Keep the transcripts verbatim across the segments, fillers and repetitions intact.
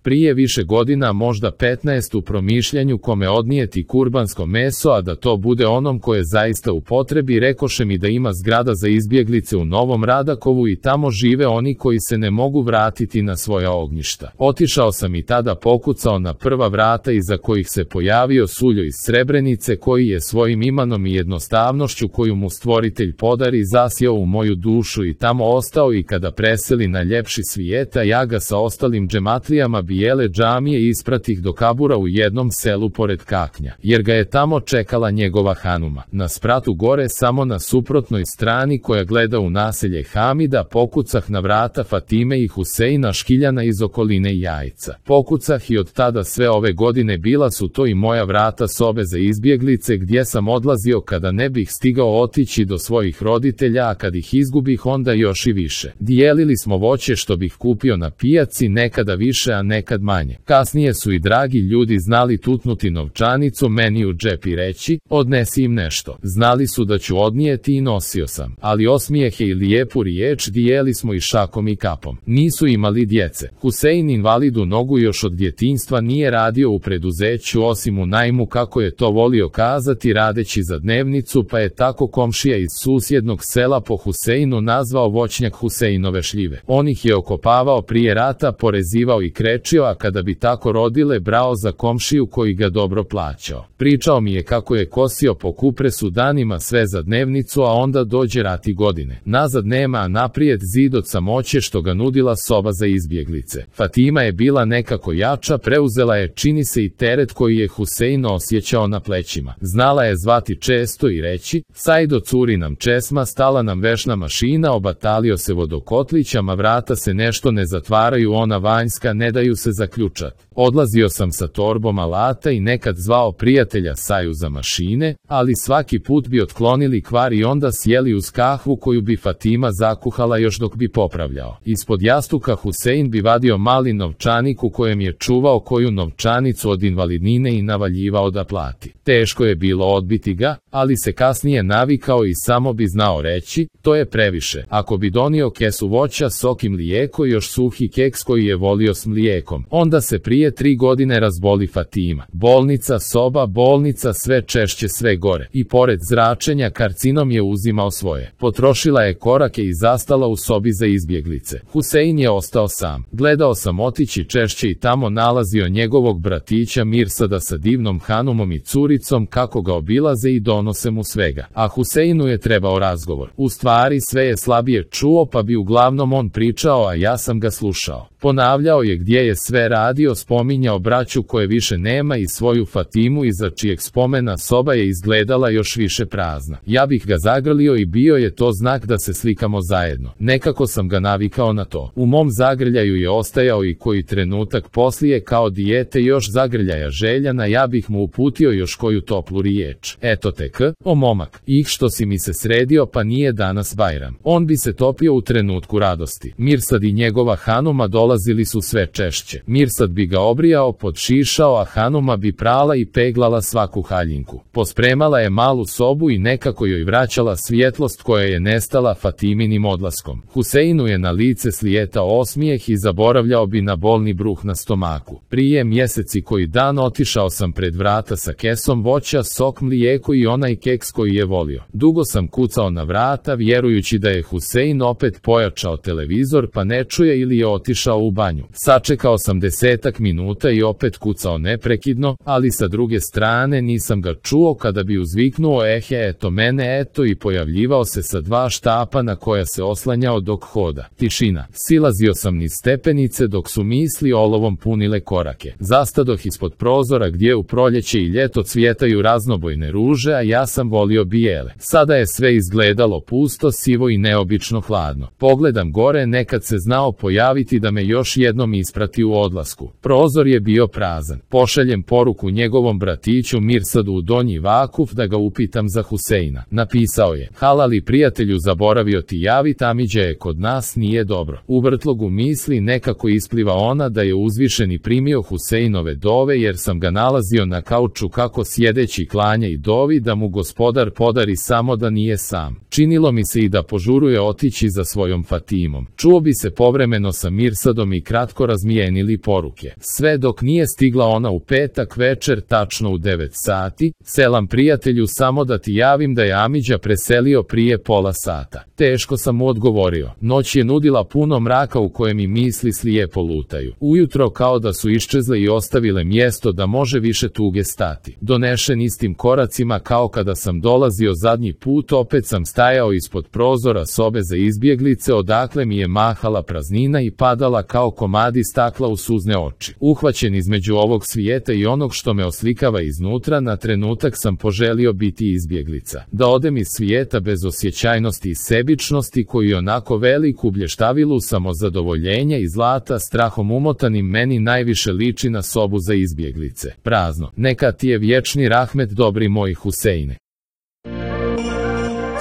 Prije više godina, možda petnaest, u promišljanju kome odnijeti kurbansko meso, a da to bude onom koje je zaista u potrebi, rekoše mi da ima zgrada za izbjeglice u Novom Radakovu i tamo žive oni koji se ne mogu vratiti na svoja ognjišta. Otišao sam i tada pokucao na prva vrata iza kojih se pojavio Suljo iz Srebrenice, koji je svojim imanom i jednostavnošću koju mu Stvoritelj podari zasjeo u moju dušu i tamo ostao, i kada preseli na ljepši svijeta, ja ga sa ostalim džematlijama bijele džamije ispratih do kabura u jednom selu pored Kaknja, jer ga je tamo čekala njegova hanuma. Na spratu gore, samo na suprotnoj strani koja gleda u naselje Hamida, pokucah na vrata Fatime i Huseina Škiljana iz okoline Jajca. Pokucah i od tada sve ove godine bila su to i moja vrata sobe za izbjeglice, gdje sam odlazio kada ne bih stigao otići do svojih roditelja, a kad ih izgubih onda još i više. Dijelili smo voće što bih kupio na pijaci, nekada više a nekad manje. Kasnije su i dragi ljudi znali tutnuti novčanicu meni u džep i reći, odnesi im nešto. Znali su da ću odnijeti i nosio sam, ali osmijehe i lijepu riječ dijeli smo i šakom i kapom. Nisu imali djece. Husein invalidu nogu još od djetinjstva nije radio u preduzeću osim u najmu, kako je to volio kazati, radeći za dnevnicu, pa je tako komšija iz susjednog sela po Huseinu nazvao voćnjak Huseinove šljive. On ih je okopavao prije rata, porezivao i krečio, a kada bi tako rodile, brao za komšiju koji ga dobro plaćao. Pričao mi je kako je kosio po kupresu danima sve za dnevnicu, a onda dođe rat i godine. Nazad nema, a naprijed zid od samoće što ga nudila soba za izbjeglice. Fatima je bila nekako jača, preuzela je, čini se, i teret koji je Husein osjećao na plećima. Znala je zvati često i reći, Sajdo, curi nam česma, stala nam vešna mašina, obatalio se vodokotlićama, vrata se nešto ne zatvaraju, ona vanjska, ne daju se zaključat. Odlazio sam sa torbom alata i nekad zvao prijatelja Saju za mašine, ali svaki put bi otklonili kvar i onda sjeli uz kahvu koju bi Fatima zakuhala još dok bi popravljao. Ispod jastuka Husein bi vadio mali novčanik u kojem je čuvao koju novčanicu od invalidnine i navaljivao da plati. Teško je bilo odbiti ga, ali se kasnije navikao i samo bi znao reći, to je previše. Ako bi donio kesu voća, sok i mlijeko, još suhi keks koji je volio s mlijekom, onda se prije tri godine razboli Fatima. Bolnica, soba, bolnica, sve češće, sve gore. I pored zračenja, karcinom je uzimao svoje. Potrošila je korake i zastala u sobi za izbjeglice. Husein je ostao sam. Gledao sam otići češće i tamo nalazio njegovog bratića Mirsada sa divnom hanumom i curicom, kako ga obilaze i donose mu svega. A Huseinu je trebao razgovor. U stvari sve je slabije čuo, pa bi uglavnom on pričao, a ja sam ga slušao. Ponavljao je gdje je sve radio, spominjao braću koje više nema i svoju Fatimu iza čijeg spomena soba je izgledala još više prazna. Ja bih ga zagrlio i bio je to znak da se slikamo zajedno. Nekako sam ga navikao na to. U mom zagrljaju je ostajao i koji trenutak poslije, kao dijete još zagrljaja željana, ja bih mu uputio još koju toplu riječ. Eto te k, o momak, ih što si mi se sredio, pa nije danas Bajram. On bi se topio u trenutku radosti. Mirsad i njegova hanuma dolazili su sve češće. Mirsad bi ga obrijao, podšišao, a hanuma bi prala i peglala svaku haljinku. Pospremala je malu sobu i nekako joj vraćala svjetlost koja je nestala Fatiminim odlaskom. Huseinu je na lice slijetao osmijeh i zaboravljao bi na bolni bruh na stomaku. Prije mjeseci koji dan otišao sam pred vrata sa kesom voća, sok, mlijeko i onaj keks koji je volio. Dugo sam kucao na vrata, vjerujući da je Husein opet pojačao televizor pa ne čuje ili je otišao u banju. Sačekao sam desetak minuta i opet kucao neprekidno, ali sa druge strane nisam ga čuo kada bi uzviknuo ehe, eto mene, eto, i pojavljivao se sa dva štapa na koja se oslanjao dok hoda. Tišina. Silazio sam niz stepenice dok su misli olovom punile korake. Zastadoh ispod prozora gdje u proljeće i ljeto cvjetaju raznobojne ruže, a ja sam volio bijele. Sada je sve izgledalo pusto, sivo i neobično hladno. Pogledam gore, nekad se znao pojaviti da me još jednom isprati u odlasku. Prozor je bio prazan. Pošaljem poruku njegovom bratiću Mirsadu u Donji Vakuf da ga upitam za Huseina. Napisao je, halali prijatelju, zaboravio ti javit, Amidža je kod nas, nije dobro. U vrtlogu misli nekako ispliva ona da je uzvišeni primio Huseinove dove, jer sam ga nalazio na kauču kako sjedeći klanja i dovi da mu gospodar podari samo da nije sam. Činilo mi se i da požuruje otići za svojom Fatimom. Čuo bi se povremeno sa Mirsadom i kratko razmijenili poruke. Sve dok nije stigla ona u petak večer, tačno u devet sati, selam prijatelju, samo da ti javim da je Amidža preselio prije pola sata. Teško sam mu odgovorio. Noć je nudila puno mraka u kojem mi misli slijepo lutaju. Ujutro kao da su iščezle i ostavile mjesto da može više tuge stati. Donešen istim koracima kao kada sam dolazio zadnji put, opet sam stajao ispod prozora sobe za izbjeglice, odakle mi je mahala praznina i padala kao komadi stakla u suzne oči. Uhvaćen između ovog svijeta i onog što me oslikava iznutra, na trenutak sam poželio biti izbjeglica. Da odem iz svijeta bez osjećajnosti i sebičnosti koji onako veliku blještavilu samozadovoljenja i zlata strahom umotanim meni najviše liči na sobu za izbjeglice. Prazno. Neka ti je vječni rahmet, dobri moji Huseine.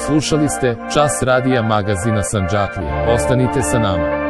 Slušali ste Čas radija magazina Sandžaklija. Ostanite sa nama.